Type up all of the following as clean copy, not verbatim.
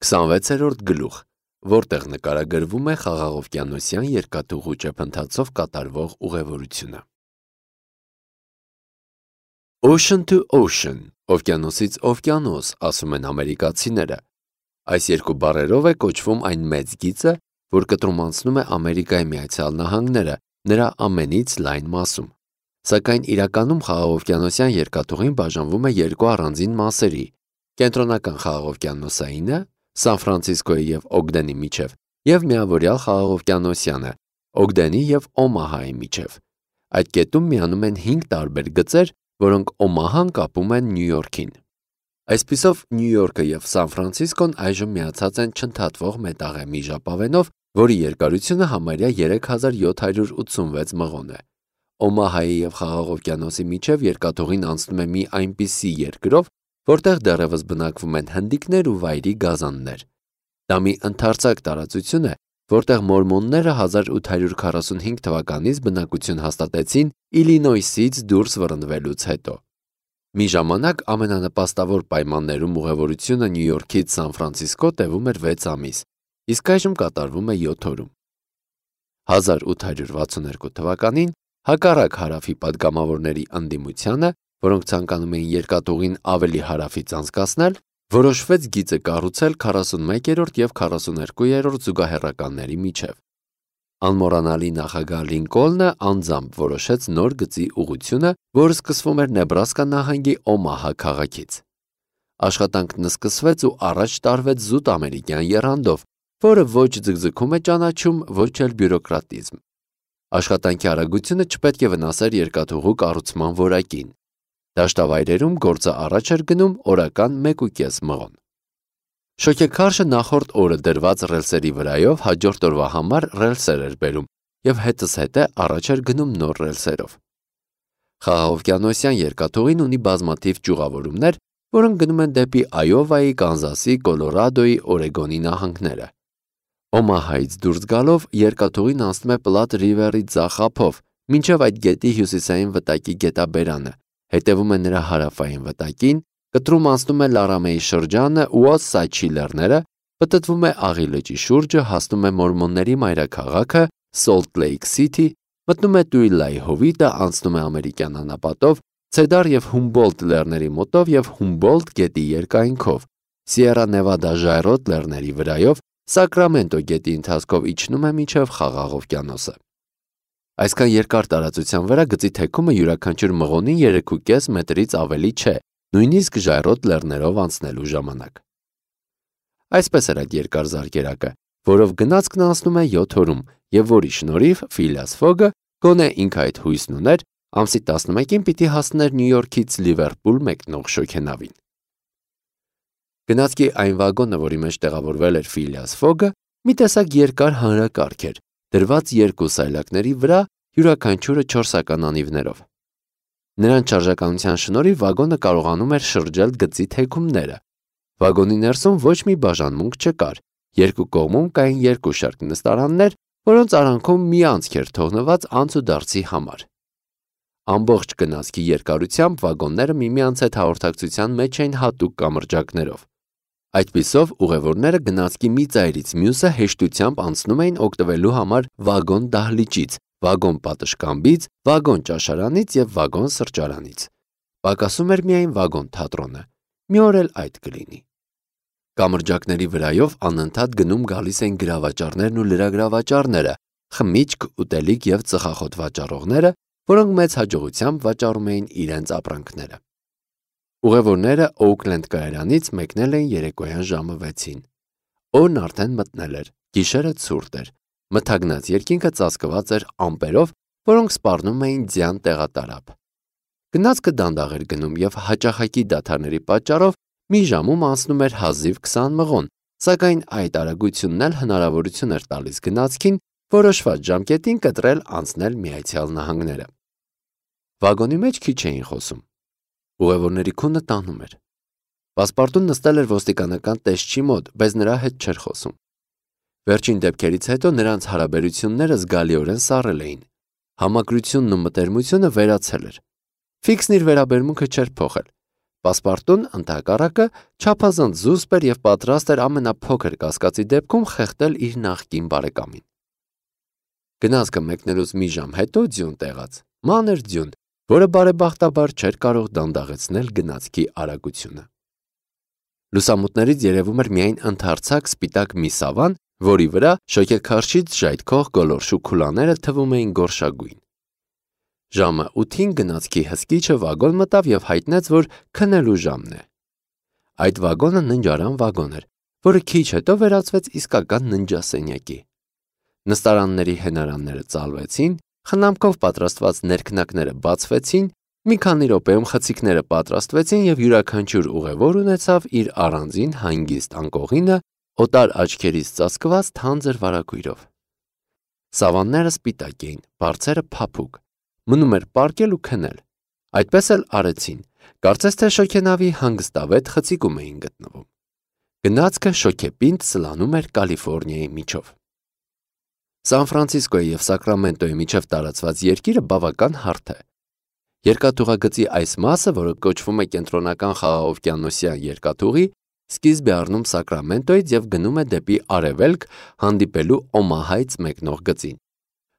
26-րդ գլուխ, որտեղ նկարագրվում է խաղաղօվկիանոսյան երկաթուղու ճեպընթացով կատարվող ուղևորությունը։ Ocean to ocean, օվկիանոսից օվկիանոս, ասում են ամերիկացիները։ Այս երկու բառերով է կոչվում այն մեծ գիծը, որ կտրում անցնում է Ամերիկայի Միացյալ Նահանգները, նրա ամենից լայն մասում։ Սակայն իրականում խաղաղօվկիանոսյան երկաթուղին բաժանվում է երկու առանձին մասերի՝ կենտրոնական խաղաղօվկիանոսայինը, Սան Ֆրանցիսկոյի և Օգդենի միջև, և միավորյալ խաղաղօվկիանոսյանը, Օգդենի և Օմահայի միջև։ Այդ կետում միանում են 5 տարբեր գծեր, որոնք Օմահան կապում են Նյու Յորքին։ Այսպիսով Նյու Յորքը և Սան Ֆրանցիսկոն այժմ միացած են չընդհատվող մետաղեմի ժապավենով, որի երկարությունը համարյա 3786 մղոն է։ Օմահայի և խաղաղօվկիանոսի միջև երկաթուղին անցնում է մի այնպիսի երկրով, որտեղ դեռևս բնակվում են հնդիկներ ու վայրի գազաններ։ Դա մի ընդարձակ տարածություն է, որտեղ մորմոնները 1845 թվականից բնակություն հաստատեցին Իլինոյսից դուրս վռնդվելուց հետո։ Մի ժամանակ ամենանպաստավոր պայմաններում ուղևորությունը Նյու Յորքից Սան Ֆրանցիսկո տևում էր 6 ամիս, իսկ այժմ կատարվում է 7 օրում։ 1862 թվականին, հակառակ հարավի պատգամավորների ընդդիմությանը, որոնք ցանկանում էին երկաթուղին ավելի հարավից անցկացնել, որոշվեց գիծը կառուցել 41-րդ և 42-րդ զուգահեռականների միջև։ Անմոռանալի նախագահ Լինկոլնը անձամբ որոշեց նոր գծի ուղղությունը, որը սկսվում էր Նեբրասկա նահանգի Օմահա քաղաքից։ Աշխատանքն սկսվեց ու առաջ տարվեց զուտ ամերիկյան եռանդով, որը ոչ ձգձգում է ճանաչում, ոչ էլ բյուրոկրատիզմ։ Աշխատանքի արագությունը չպետք է վնասեր երկաթուղու կառուցման որակին։ Դաշտավայրերում գործը առաջ էր գնում օրական 1.5 մղոն։ Շոգեքարշը նախորդ օրը դրված ռելսերի վրայով հաջորդ օրվա համար ռելսեր էր բերում և հետզհետե առաջ էր գնում նոր ռելսերով։ Խաղաղօվկիանոսյան երկաթուղին ունի բազմաթիվ ճյուղավորումներ, որոնք գնում են դեպի Այովայի, Կանզասի, Կոլորադոյի, Օրեգոնի նահանգները։ Օմահայից դուրս գալով երկաթուղին անցնում է Պլատ Ռիվերի ձախ ափով, մինչև այդ գետի հյուսիսային վտակի գետաբերանը, հետևում է նրա հարավային վտակին, կտրում անցնում է Լարամեի շրջանը ու Օսաչի լեռները, պտտվում է Աղի լճի շուրջը, հասնում է մորմոնների մայրաքաղաքը Սոլտ Լեյք Սիթի, մտնում է Տուիլայի հովիտը, անցնում է ամերիկյան անապատով, Ցեդար և Հումբոլտ լեռների մոտով և Հումբոլտ գետի երկայնքով, Սիերա Նևադա ժայռոտ լեռների վրայով, Սակրամենտո գետի ընթացքով իջնում է մինչև Խաղաղ օվկիանոսը։ Այսքան երկար տարածության վրա գծի թեքումը յուրաքանչյուր մղոնին 3.5 մետրից ավելի չէ, նույնիսկ ժայռոտ լեռներով անցնելու ժամանակ։ Այսպես էր այդ երկար զարկերակը, որով գնացքն անցնում է 7 օրում, և որի շնորհիվ Ֆիլիաս Ֆոգը, գոնե ինքը այդ հույսն ուներ, ամսի 11-ին պիտի հասներ Նյու Յորքից Լիվերպուլ մեկնող շոգենավին։ Գնացքի այն վագոնը, որի մեջ տեղավորվել էր Ֆիլիաս Ֆոգը, մի տեսակ երկար հանրակարգ էր, դրված 2 սայլակների վրա, յուրաքանչյուրը 4-ական անիվներով։ Նրանց շարժականության շնորհիվ վագոնը կարողանում էր շրջել գծի թեքումները։ Վագոնի ներսում ոչ մի բաժանմունք չկար, երկու կողմում կային 2 շարք նստարաններ, որոնց արանքում մի անցք էր թողնված անցուդարձի համար։ Ամբողջ գնացքի երկարությամբ վագոնները միմյանց հետ հաղորդակցության մեջ էին հատուկ կամրջակներով։ Այդպիսով ուղևորները գնացքի մի ծայրից մյուսը հեշտությամբ անցնում էին օգտվելու համար վագոն դահլիճից, վագոն պատշգամբից, վագոն ճաշարանից և վագոն սրճարանից։ Պակասում էր միայն վագոն թատրոնը, մի օր էլ այդ կլինի։ Կամրջակների վրայով անընդհատ գնում գալիս էին գրավաճառներն ու լրագրավաճառները, խմիչք, ուտելիք և ծխախոտ վաճառողները, որոնք մեծ հաջողությամբ վաճառում էին իրենց ապրանքները։ Ուղևորները Օուքլենդ կայարանից մեկնել էին երեկոյան ժամը 6-ին։ Օրն արդեն մտնել էր, գիշերը ցուրտ էր, մթագնած երկինքը ծածկված էր ամպերով, որոնք սպառնում էին ձյան տեղատարափ։ Գնացքը դանդաղ էր գնում և հաճախակի դադարների պատճառով մի ժամում անցնում էր հազիվ 20 մղոն, սակայն այդ արագությունն էլ հնարավորություն էր տալիս գնացքին որոշված ժամկետին կտրել անցնել Միացյալ Նահանգները։ Վագոնի մեջ քիչ էին խոսում։ Ուղևորների քունը տանում էր։ Պասպարտուն նստել էր ոստիկանական տեսչի մոտ, բայց նրա հետ չէր խոսում։ Վերջին դեպքերից հետո նրանց հարաբերությունները զգալիորեն սառել էին։ Համակրությունն ու մտերմությունը վերացել էր։ Ֆիքսն իր վերաբերմունքը չէր փոխել։ Պասպարտուն ընդհակառակը չափազանց զուսպ էր և պատրաստ էր ամենափոքր կասկածի դեպքում խեղդել իր նախկին բարեկամին։ Գնացքը մեկնելուց մի ժամ հետո ձյուն տեղաց, մանր ձյուն, որը բարեբախտաբար չէր կարող դանդաղեցնել գնացքի արագությունը։ Լուսամուտներից երևում էր միայն ընդարձակ սպիտակ մի սավան, որի վրա շոգեքարշից ժայթքող գոլորշու քուլաները թվում էին գորշագույն։ Ժամը 8-ին գնացքի հսկիչը վագոն մտավ և հայտնեց, որ քնելու ժամն է։ Այդ վագոնը ննջարան վագոն էր, որը քիչ հետո վերածվեց իսկական ննջասենյակի։ Նստարանների հենարանները ծալվեցին, խնամքով պատրաստված ներքնակները բացվեցին, մի քանի րոպեում խցիկները պատրաստվեցին և յուրաքանչյուր ուղևոր ունեցավ իր առանձին հանգիստ անկողինը օտար աչքերից ծածկված թանձր վարագույրով։ Սավանները սպիտակ էին, բարձերը փափուկ, մնում էր պառկել ու քնել։ Այդպես էլ արեցին, կարծես թե շոգենավի հանգստավետ խցիկում էին գտնվում։ Գնացքը շոգեպինդ սլանում էր Կալիֆոռնիայի միջով։ Սան Ֆրանցիսկոյի և Սակրամենտոյի միջև տարածված երկիրը բավական հարթ է։ Երկաթուղագծի այս մասը, որը կոչվում է կենտրոնական խաղաղօվկիանոսյան երկաթուղի, սկիզբ է առնում Սակրամենտոյից և գնում է դեպի արևելք, հանդիպելու Օմահայից մեկնող գծին։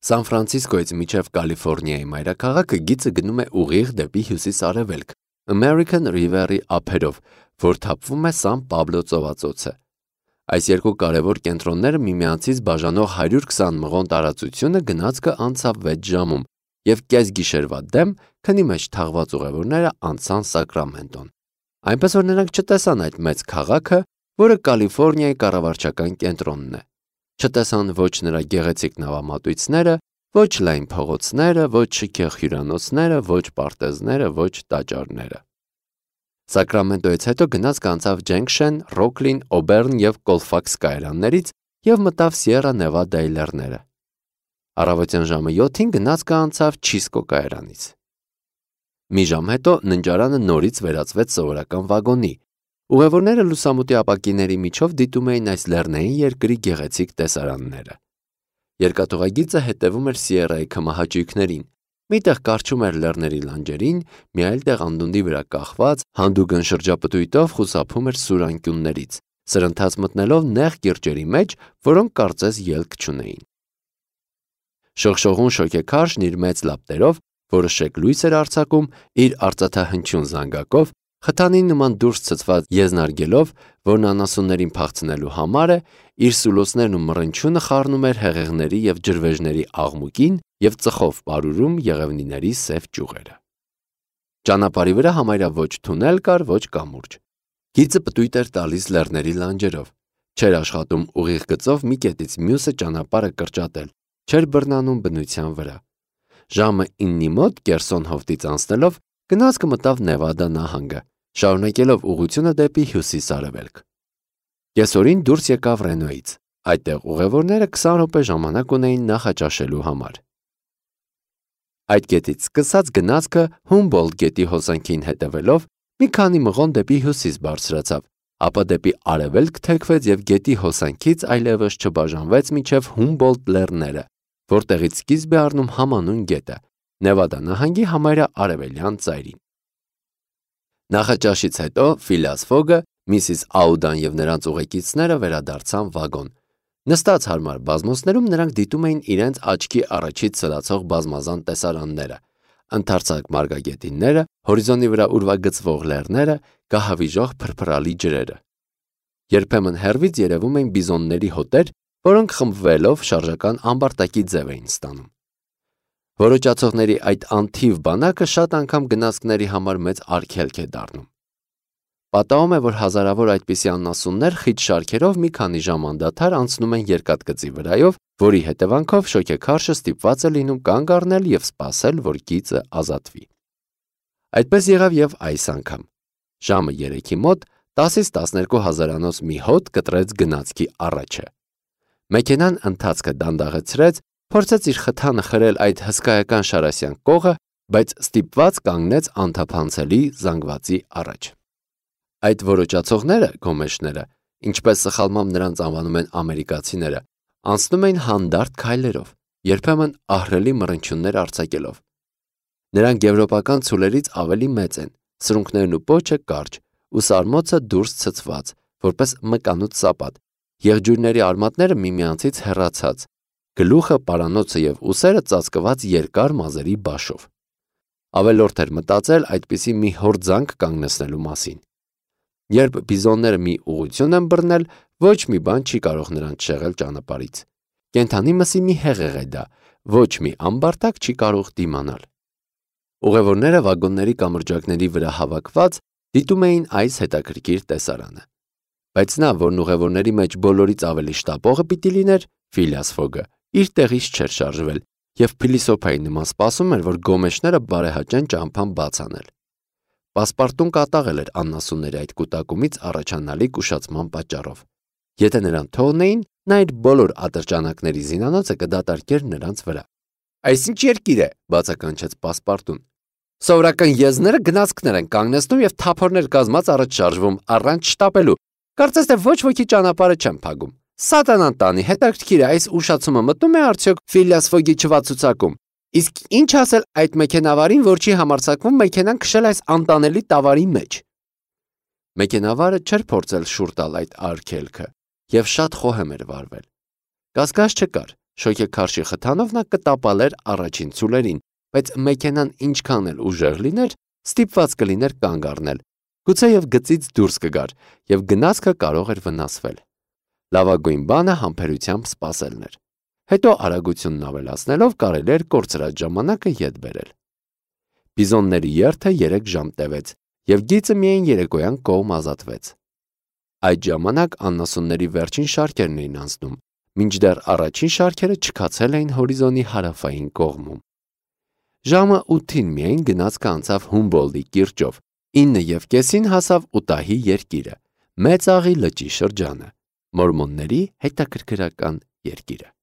Սան Ֆրանցիսկոյից մինչև Կալիֆոռնիայի մայրաքաղաքը գիծը գնում է ուղիղ դեպի հյուսիս-արևելք, American River-ի ափերով, որ թափվում է Սան Պաբլո ծովածոցը։ Այս երկու կարևոր կենտրոնները միմյանցից բաժանող 120 մղոն տարածությունը գնացքը անցավ 6 ժամում, և կեսգիշերվա դեմ քնի մեջ թաղված ուղևորները անցան Սակրամենտոն։ Այնպես որ նրանք չտեսան այդ մեծ քաղաքը, որը Կալիֆոռնիայի կառավարչական կենտրոնն է։ Չտեսան ոչ նրա գեղեցիկ նավամատույցները, ոչ լայն փողոցները, ոչ շքեղ հյուրանոցները, ոչ պարտեզները, ոչ տաճարները։ Սակրամենտոյից հետո գնացքը անցավ Ջենքշեն, Ռոքլին, Օբերն և Կոլֆաքս կայարաններից և մտավ Սիերա Նևադայի լեռները։ Առավոտյան ժամը 7-ին գնացքը անցավ Չիսկո կայարանից։ Մի ժամ հետո ննջարանը նորից վերածվեց սովորական վագոնի։ Ուղևորները լուսամուտի ապակիների միջով դիտում էին այս լեռնային երկրի գեղեցիկ տեսարանները։ Երկաթուղագիծը հետևում էր Սիերայի քմահաճույքներին։ Միտեղ կառչում էր լեռների լանջերին, մի այլ տեղ անդունդի վրա կախված, հանդուգն շրջապտույտով խուսափում էր սուր անկյուններից, սրընթաց մտնելով նեղ կիրճերի մեջ, որոնք կարծես ելք չունեին։ Շողշողուն շոգեքարշն իր մեծ լապտերով, որը շեկ լույս էր արձակում, իր արծաթահնչյուն զանգակով, խթանի նման դուրս ցցված եզնարգելով, որն անասուններին փախցնելու համար է, իր սուլոցներն ու մռնչյունը խառնում էր հեղեղների և ջրվեժների աղմուկին և ծխով պարուրում եղևնիների սև ճյուղերը։ Ճանապարհի վրա համարյա ոչ թունել կար, ոչ կամուրջ։ Գիծը պտույտ էր տալիս լեռների լանջերով, չէր աշխատում ուղիղ գծով մի կետից մյուսը ճանապարհը կրճատել, չէր բռնանում բնության վրա։ Ժամը 9-ի մոտ Կերսոն հովտից անցնելով գնացքը մտավ Նևադա նահանգը, շարունակելով ուղղությունը դեպի հյուսիս-արևելք։ Կեսօրին դուրս եկավ Ռենոյից։ Այդտեղ ուղևորները 20 րոպե ժամանակ ունեին նախաճաշելու համար։ Այդ կետից սկսած գնացքը Հումբոլդտ գետի հոսանքին հետևելով մի քանի մղոն դեպի հյուսիս բարձրացավ, ապա դեպի արևելք թեքվեց և գետի հոսանքից այլևս չբաժանվեց մինչև Հումբոլդտ լեռները, որտեղից սկիզբ է առնում համանուն գետը, Նևադա նահանգի համարյա արևելյան ծայրին։ Նախաճաշից հետո Ֆիլիաս Ֆոգը, Միսիս Աուդան և նրանց ուղեկիցները վերադարձան վագոն։ Նստած հարմար բազմոցներում նրանք դիտում էին իրենց աչքի առաջից սլացող բազմազան տեսարանները, ընդարձակ մարգագետինները, հորիզոնի վրա ուրվագծվող լեռները, գահավիժող փրփրալի ջրերը։ Երբեմն հեռվից երևում էին բիզոնների հոտեր, որոնք խմբվելով շարժական ամբարտակի ձև էին ստանում։ Որոճացողների այդ անթիվ բանակը շատ անգամ գնացքների համար մեծ արգելք է դառնում։ Պատահում է, որ հազարավոր այդպիսի անասուններ խիտ շարքերով մի քանի ժամ անդադար անցնում են երկաթգծի վրայով, որի հետևանքով շոգեքարշը ստիպված է լինում կանգ առնել և սպասել, որ գիծը ազատվի։ Այդպես եղավ և այս անգամ։ Ժամը 3-ի մոտ 10-ից 12 հազարանոց մի հոտ կտրեց գնացքի առաջը։ Մեքենան ընթացքը դանդաղեցրեց, փորձեց իր խթանը խրել այդ հսկայական շարասյան կողը, բայց ստիպված կանգնեց անթափանցելի զանգվածի առաջ։ Այդ որոճացողները, գոմեշները, ինչպես սխալմամբ նրանց անվանում են ամերիկացիները, անցնում էին հանդարտ քայլերով, երբեմն ահռելի մռնչյուններ արձակելով։ Նրանք եվրոպական ցուլերից ավելի մեծ են, սրունքներն ու պոչը կարճ, ու սարմոցը դուրս ցցված, որպես մկանուտ սապատ, եղջյուրների արմատները միմյանցից հեռացած, գլուխը, պարանոցը և ուսերը ծածկված երկար մազերի բաշով։ Ավելորդ էր մտածել այդպիսի մի հորձանք կանգնեցնելու մասին։ Երբ բիզոնները մի ուղղություն են բռնել, ոչ մի բան չի կարող նրանց շեղել ճանապարհից։ Կենդանի մսի մի հեղեղ է դա, ոչ մի ամբարտակ չի կարող դիմանալ։ Ուղևորները վագոնների կամրջակների վրա հավաքված դիտում էին այս հետաքրքիր տեսարանը։ Բայց նա, որն ուղևորների մեջ բոլորից ավելի շտապողը պիտի լիներ, Ֆիլիաս Ֆոգը, իր տեղից չէր շարժվել և փիլիսոփայի նման սպասում էր, որ գոմեշները բարեհաճեն ճամփան բաց անել։ Պասպարտուն կատաղել էր աննասունների այդ կուտակումից առաջանալիք ուշացման պատճառով։ Եթե նրան թողնեին, նա իր բոլոր ատրճանակների զինանոցը կդատարկեր նրանց վրա։ «Այս ինչ երկիր է», բացականչեց Պասպարտուն։ «Սովորական եզները գնացքներ են կանգնեցնում և թափորներ կազմած առաջ շարժվում, առանց շտապելու։ Կարծես թե ոչ ոքի ճանապարհը չեն փակում։ Սատանան տանի, հետաքրքիր է, այս ուշացումը մտնում է արդյոք Ֆիլիաս Ֆոգի չվացուցակում։ Իսկ ինչ ասել այդ մեքենավարին, որ չի համարձակվում մեքենան քշել այս անտանելի տավարի մեջ»։ Մեքենավարը չէր փորձել շուռ տալ այդ արգելքը և շատ խոհեմ էր վարվել։ Կասկած չկար, շոգեքարշի խթանով նա կտապալեր առաջին ցուլերին, բայց մեքենան ինչքան էլ ուժեղ լիներ, ստիպված կլիներ կանգ առնել, գուցեև գծից դուրս կգար և գնացքը կարող էր վնասվել։ Լավագույն բանը համբերությամբ սպասելն էր։ Հետո արագությունն ավելացնելով կարելի էր կորցրած ժամանակը ետ բերել։ Բիզոնների երթը 3 ժամ տևեց և գիծը միայն երեկոյան կողմ ազատվեց։ Այդ ժամանակ աննասունների վերջին շարքերն էին անցնում, մինչդեռ առաջին շարքերը չքացել էին հորիզոնի հարավային կողմում։ Ժամը 8-ին միայն գնացքը անցավ Հումբոլդտի կիրճով, 9:30-ին հասավ Ուտահի երկիրը, Մեծ աղի լճի շրջանը, մորմոնների հետաքրքրական երկիրը։